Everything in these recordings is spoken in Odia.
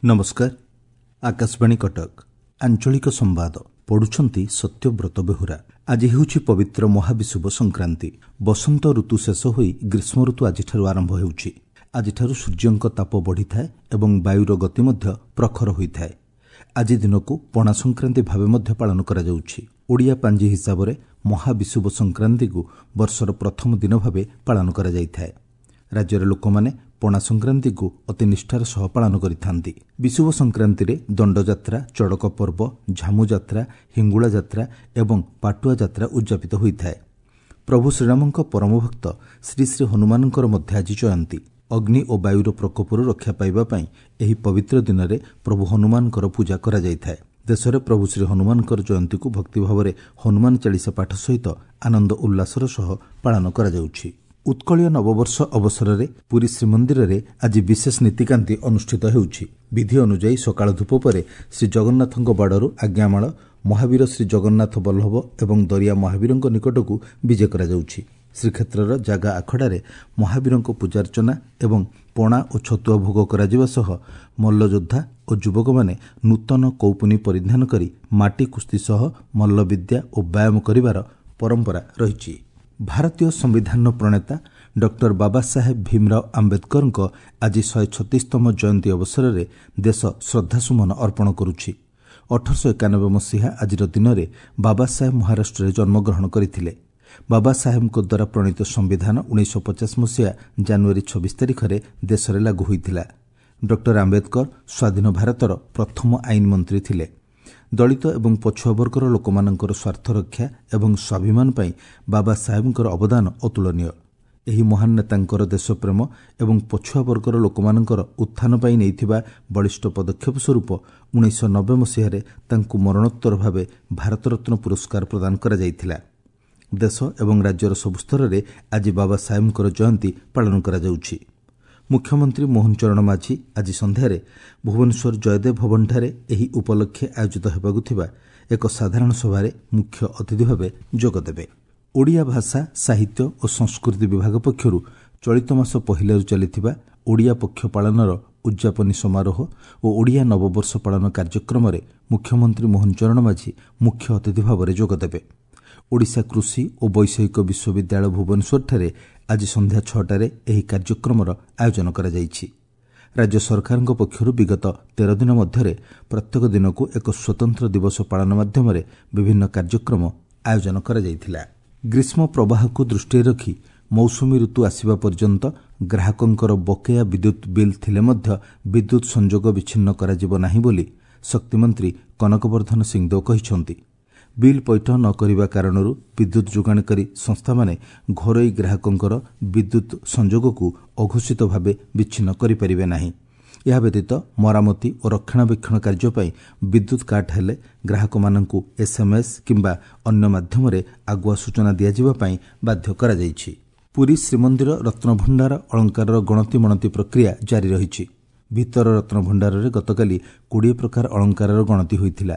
ନମସ୍କାର, ଆକାଶବାଣୀ କଟକ, ଆଞ୍ଚଳିକ ସମ୍ବାଦ ପଢୁଛନ୍ତି ସତ୍ୟବ୍ରତ ବେହୁରା। ଆଜି ହେଉଛି ପବିତ୍ର ମହାବିଷୁବ ସଂକ୍ରାନ୍ତି। ବସନ୍ତ ଋତୁ ଶେଷ ହୋଇ ଗ୍ରୀଷ୍ମ ଋତୁ ଆଜିଠାରୁ ଆରମ୍ଭ ହେଉଛି। ଆଜିଠାରୁ ସୂର୍ଯ୍ୟଙ୍କ ତାପ ବଢ଼ିଥାଏ ଏବଂ ବାୟୁର ଗତି ମଧ୍ୟ ପ୍ରଖର ହୋଇଥାଏ। ଆଜି ଦିନକୁ ପଣା ସଂକ୍ରାନ୍ତି ଭାବେ ମଧ୍ୟ ପାଳନ କରାଯାଉଛି। ଓଡ଼ିଆ ପାଞ୍ଜି ହିସାବରେ ମହାବିଷୁବ ସଂକ୍ରାନ୍ତିକୁ ବର୍ଷର ପ୍ରଥମ ଦିନ ଭାବେ ପାଳନ କରାଯାଇଥାଏ। ରାଜ୍ୟର ଲୋକମାନେ ପଣା ସଂକ୍ରାନ୍ତିକୁ ଅତି ନିଷ୍ଠାର ସହ ପାଳନ କରିଥାନ୍ତି। ବିଷୁବ ସଂକ୍ରାନ୍ତିରେ ଦଣ୍ଡଯାତ୍ରା, ଚଡ଼କ ପର୍ବ, ଝାମୁଯାତ୍ରା, ହିଙ୍ଗୁଳା ଯାତ୍ରା ଏବଂ ପାଟୁଆ ଯାତ୍ରା ଉଦ୍ଯାପିତ ହୋଇଥାଏ। ପ୍ରଭୁ ଶ୍ରୀରାମଙ୍କ ପରମଭକ୍ତ ଶ୍ରୀ ଶ୍ରୀ ହନୁମାନଙ୍କର ମଧ୍ୟ ଆଜି ଜୟନ୍ତୀ। ଅଗ୍ନି ଓ ବାୟୁର ପ୍ରକୋପରୁ ରକ୍ଷା ପାଇବା ପାଇଁ ଏହି ପବିତ୍ର ଦିନରେ ପ୍ରଭୁ ହନୁମାନଙ୍କର ପୂଜା କରାଯାଇଥାଏ। ଦେଶରେ ପ୍ରଭୁ ଶ୍ରୀ ହନୁମାନଙ୍କର ଜୟନ୍ତୀକୁ ଭକ୍ତିଭାବରେ ହନୁମାନ ଚାଳିଶା ପାଠ ସହିତ ଆନନ୍ଦ ଉଲ୍ଲାସର ସହ ପାଳନ କରାଯାଉଛି। ଉତ୍କଳୀୟ ନବବର୍ଷ ଅବସରରେ ପୁରୀ ଶ୍ରୀମନ୍ଦିରରେ ଆଜି ବିଶେଷ ନୀତିକାନ୍ତି ଅନୁଷ୍ଠିତ ହେଉଛି। ବିଧି ଅନୁଯାୟୀ ସକାଳ ଧୂପ ପରେ ଶ୍ରୀଜଗନ୍ନାଥଙ୍କ ବାଡ଼ରୁ ଆଜ୍ଞାମାଳ ମହାବୀର ଶ୍ରୀ ଜଗନ୍ନାଥ ବଲ୍ଲଭ ଏବଂ ଦରିଆ ମହାବୀରଙ୍କ ନିକଟକୁ ବିଜେ କରାଯାଉଛି। ଶ୍ରୀକ୍ଷେତ୍ରର ଜାଗା ଆଖଡ଼ାରେ ମହାବୀରଙ୍କ ପୂଜାର୍ଚ୍ଚନା ଏବଂ ପଣା ଓ ଛତୁଆ ଭୋଗ କରାଯିବା ସହ ମଲ୍ଲଯୋଦ୍ଧା ଓ ଯୁବକମାନେ ନୂତନ କୌପୁନୀ ପରିଧାନ କରି ମାଟି କୁସ୍ତି ସହ ମଲ୍ଲବିଦ୍ୟା ଓ ବ୍ୟାୟାମ କରିବାର ପରମ୍ପରା ରହିଛି। ଭାରତୀୟ ସମ୍ବିଧାନର ପ୍ରଣେତା ଡକ୍ଟର ବାବାସାହେବ ଭୀମରାଓ ଆମ୍ବେଦକରଙ୍କ ଆଜି 136ତମ ଜୟନ୍ତୀ ଅବସରରେ ଦେଶ ଶ୍ରଦ୍ଧାସୁମନ ଅର୍ପଣ କରୁଛି। 1891 ମସିହା ଆଜିର ଦିନରେ ବାବାସାହେବ ମହାରାଷ୍ଟ୍ରରେ ଜନ୍ମଗ୍ରହଣ କରିଥିଲେ। ବାବାସାହେବଙ୍କ ଦ୍ୱାରା ପ୍ରଣୀତ ସମ୍ବିଧାନ 1950 ମସିହା ଜାନୁଆରୀ 26 ତାରିଖରେ ଦେଶରେ ଲାଗୁ ହୋଇଥିଲା। ଡକ୍ଟର ଆମ୍ବେଦକର ସ୍ୱାଧୀନ ଭାରତର ପ୍ରଥମ ଆଇନ ମନ୍ତ୍ରୀ ଥିଲେ। ଦଳିତ ଏବଂ ପଛୁଆ ବର୍ଗର ଲୋକମାନଙ୍କର ସ୍ୱାର୍ଥ ରକ୍ଷା ଏବଂ ସ୍ୱାଭିମାନ ପାଇଁ ବାବା ସାହେବଙ୍କର ଅବଦାନ ଅତୁଳନୀୟ। ଏହି ମହାନ ନେତାଙ୍କର ଦେଶପ୍ରେମ ଏବଂ ପଛୁଆ ବର୍ଗର ଲୋକମାନଙ୍କର ଉତ୍ଥାନ ପାଇଁ ନେଇଥିବା ବଳିଷ୍ଠ ପଦକ୍ଷେପ ସ୍ୱରୂପ 1990 ମସିହାରେ ତାଙ୍କୁ ମରଣୋତ୍ତର ଭାବେ ଭାରତରତ୍ନ ପୁରସ୍କାର ପ୍ରଦାନ କରାଯାଇଥିଲା। ଦେଶ ଏବଂ ରାଜ୍ୟର ସବୁ ସ୍ତରରେ ଆଜି ବାବା ସାହେବଙ୍କର ଜୟନ୍ତୀ ପାଳନ କରାଯାଉଛି। ମୁଖ୍ୟମନ୍ତ୍ରୀ ମୋହନ ଚରଣ ମାଝୀ ଆଜି ସନ୍ଧ୍ୟାରେ ଭୁବନେଶ୍ୱର ଜୟଦେବ ଭବନଠାରେ ଏହି ଉପଲକ୍ଷେ ଆୟୋଜିତ ହେବାକୁ ଥିବା ଏକ ସାଧାରଣ ସଭାରେ ମୁଖ୍ୟ ଅତିଥି ଭାବେ ଯୋଗଦେବେ। ଓଡ଼ିଆ ଭାଷା, ସାହିତ୍ୟ ଓ ସଂସ୍କୃତି ବିଭାଗ ପକ୍ଷରୁ ଚଳିତ ମାସ ପହିଲାରୁ ଚାଲିଥିବା ଓଡ଼ିଆ ପକ୍ଷ ପାଳନର ଉଦ୍ଯାପନୀ ସମାରୋହ ଓ ଓଡ଼ିଆ ନବବର୍ଷ ପାଳନ କାର୍ଯ୍ୟକ୍ରମରେ ମୁଖ୍ୟମନ୍ତ୍ରୀ ମୋହନ ଚରଣ ମାଝୀ ମୁଖ୍ୟ ଅତିଥି ଭାବରେ ଯୋଗଦେବେ। ଓଡ଼ିଶା କୃଷି ଓ ବୈଷୟିକ ବିଶ୍ୱବିଦ୍ୟାଳୟ ଭୁବନେଶ୍ୱରଠାରେ ଆଜି ସନ୍ଧ୍ୟା 6ଟାରେ ଏହି କାର୍ଯ୍ୟକ୍ରମର ଆୟୋଜନ କରାଯାଇଛି। ରାଜ୍ୟ ସରକାରଙ୍କ ପକ୍ଷରୁ ବିଗତ 13 ଦିନ ମଧ୍ୟରେ ପ୍ରତ୍ୟେକ ଦିନକୁ ଏକ ସ୍ୱତନ୍ତ୍ର ଦିବସ ପାଳନ ମାଧ୍ୟମରେ ବିଭିନ୍ନ କାର୍ଯ୍ୟକ୍ରମ ଆୟୋଜନ କରାଯାଇଥିଲା। ଗ୍ରୀଷ୍ମ ପ୍ରବାହକୁ ଦୃଷ୍ଟିରେ ରଖି ମୌସୁମୀ ଋତୁ ଆସିବା ପର୍ଯ୍ୟନ୍ତ ଗ୍ରାହକଙ୍କର ବକେୟା ବିଦ୍ୟୁତ୍ ବିଲ୍ ଥିଲେ ମଧ୍ୟ ବିଦ୍ୟୁତ୍ ସଂଯୋଗ ବିଚ୍ଛିନ୍ନ କରାଯିବ ନାହିଁ ବୋଲି ଶକ୍ତିମନ୍ତ୍ରୀ କନକବର୍ଦ୍ଧନ ସିଂଦେଓ କହିଛନ୍ତି। ବିଲ୍ ପୈଠ ନ କରିବା କାରଣରୁ ବିଦ୍ୟୁତ୍ ଯୋଗାଣକାରୀ ସଂସ୍ଥାମାନେ ଘରୋଇ ଗ୍ରାହକଙ୍କର ବିଦ୍ୟୁତ୍ ସଂଯୋଗକୁ ଅଘୋଷିତ ଭାବେ ବିଚ୍ଛିନ୍ନ କରିପାରିବେ ନାହିଁ। ଏହା ବ୍ୟତୀତ ମରାମତି ଓ ରକ୍ଷଣାବେକ୍ଷଣ କାର୍ଯ୍ୟ ପାଇଁ ବିଦ୍ୟୁତ୍ କାଟ ହେଲେ ଗ୍ରାହକମାନଙ୍କୁ ଏସ୍ଏମ୍ଏସ୍ କିମ୍ବା ଅନ୍ୟ ମାଧ୍ୟମରେ ଆଗୁଆ ସୂଚନା ଦିଆଯିବା ପାଇଁ ବାଧ୍ୟ କରାଯାଇଛି। ପୁରୀ ଶ୍ରୀମନ୍ଦିର ରତ୍ନଭଣ୍ଡାର ଅଳଙ୍କାରର ଗଣତି ମଣତି ପ୍ରକ୍ରିୟା ଜାରି ରହିଛି। ଭିତର ରତ୍ନଭଣ୍ଡାରରେ ଗତକାଲି 20 ପ୍ରକାର ଅଳଙ୍କାରର ଗଣତି ହୋଇଥିଲା।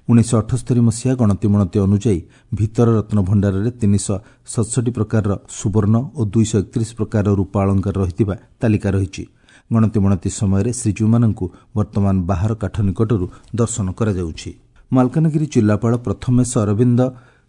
1978 ମସିହା ଗଣତିମଣତି ଅନୁଯାୟୀ ଭିତର ରତ୍ନଭଣ୍ଡାରରେ 367 ପ୍ରକାରର ସୁବର୍ଣ୍ଣ ଓ 231 ପ୍ରକାରର ରୂପା ଅଳଙ୍କାର ରହିଥିବା ତାଲିକା ରହିଛି। ଗଣତିମଣତି ସମୟରେ ଶ୍ରୀଜୀଉମାନଙ୍କୁ ବର୍ତ୍ତମାନ ବାହାର କାଠ ନିକଟରୁ ଦର୍ଶନ କରାଯାଉଛି। ମାଲକାନଗିରି ଜିଲ୍ଲାପାଳ ପ୍ରଥମେଶ ଅରବିନ୍ଦ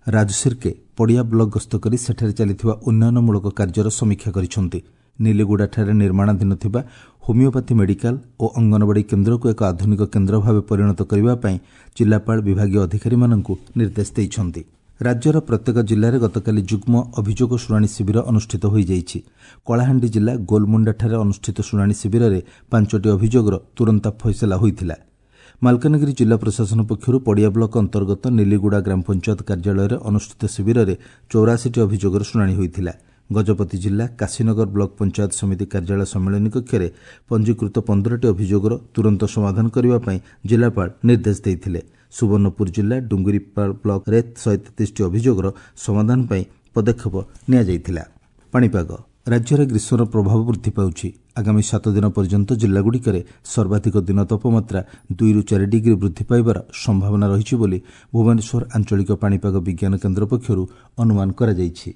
ରାଜସିର୍କେ ପଡ଼ିଆ ବ୍ଲକ ଗସ୍ତ କରି ସେଠାରେ ଚାଲିଥିବା ଉନ୍ନୟନମୂଳକ କାର୍ଯ୍ୟର ସମୀକ୍ଷା କରିଛନ୍ତି। ନିଲିଗୁଡ଼ାଠାରେ ନିର୍ମାଣାଧୀନ ଥିବା ହୋମିଓପାଥି ମେଡିକାଲ ଓ ଅଙ୍ଗନବାଡ଼ି କେନ୍ଦ୍ରକୁ ଏକ ଆଧୁନିକ କେନ୍ଦ୍ର ଭାବେ ପରିଣତ କରିବା ପାଇଁ ଜିଲ୍ଲାପାଳ ବିଭାଗୀୟ ଅଧିକାରୀମାନଙ୍କୁ ନିର୍ଦ୍ଦେଶ ଦେଇଛନ୍ତି। ରାଜ୍ୟର ପ୍ରତ୍ୟେକ ଜିଲ୍ଲାରେ ଗତକାଲି ଯୁଗ୍ମ ଅଭିଯୋଗ ଶୁଣାଣି ଶିବିର ଅନୁଷ୍ଠିତ ହୋଇଯାଇଛି। କଳାହାଣ୍ଡି ଜିଲ୍ଲା ଗୋଲମୁଣ୍ଡାଠାରେ ଅନୁଷ୍ଠିତ ଶୁଣାଣି ଶିବିରରେ 5ଟି ଅଭିଯୋଗର ତୁରନ୍ତ ଫଇସଲା ହୋଇଥିଲା। ମାଲକାନଗିରି ଜିଲ୍ଲା ପ୍ରଶାସନ ପକ୍ଷରୁ ପଡ଼ିଆ ବ୍ଲକ ଅନ୍ତର୍ଗତ ନିଲିଗୁଡ଼ା ଗ୍ରାମ ପଞ୍ଚାୟତ କାର୍ଯ୍ୟାଳୟରେ ଅନୁଷ୍ଠିତ ଶିବିରରେ 84ଟି ଅଭିଯୋଗର ଶୁଣାଣି ହୋଇଥିଲା। ଗଜପତି ଜିଲ୍ଲା କାଶୀନଗର ବ୍ଲକ ପଞ୍ଚାୟତ ସମିତି କାର୍ଯ୍ୟାଳୟ ସମ୍ମିଳନୀ କକ୍ଷରେ ପଞ୍ଜୀକୃତ 15ଟି ଅଭିଯୋଗର ତୁରନ୍ତ ସମାଧାନ କରିବା ପାଇଁ ଜିଲ୍ଲାପାଳ ନିର୍ଦ୍ଦେଶ ଦେଇଥିଲେ। ସୁବର୍ଣ୍ଣପୁର ଜିଲ୍ଲା ଡୁଙ୍ଗୁରିପାଳ ବ୍ଲକରେ 133ଟି ଅଭିଯୋଗର ସମାଧାନ ପାଇଁ ପଦକ୍ଷେପ ନିଆଯାଇଥିଲା। ପାଣିପାଗ ରାଜ୍ୟରେ ଗ୍ରୀଷ୍ମର ପ୍ରଭାବ ବୃଦ୍ଧି ପାଉଛି। ଆଗାମୀ 7 ଦିନ ପର୍ଯ୍ୟନ୍ତ ଜିଲ୍ଲାଗୁଡ଼ିକରେ ସର୍ବାଧିକ ଦିନ ତାପମାତ୍ରା 2ରୁ 4 ଡିଗ୍ରୀ ବୃଦ୍ଧି ପାଇବାର ସମ୍ଭାବନା ରହିଛି ବୋଲି ଭୁବନେଶ୍ୱର ଆଞ୍ଚଳିକ ପାଣିପାଗ ବିଜ୍ଞାନ କେନ୍ଦ୍ର ପକ୍ଷରୁ ଅନୁମାନ କରାଯାଇଛି।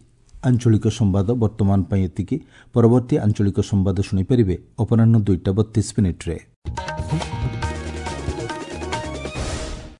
ଆଞ୍ଚଳିକ ସମ୍ବାଦ ବର୍ତ୍ତମାନ ପାଇଁ ଏତିକି। ପରବର୍ତ୍ତୀ ଆଞ୍ଚଳିକ ସମ୍ବାଦ ଶୁଣିପାରିବେ ଅପରାହ୍ନ 2ଟା 32 ମିନିଟ୍ରେ।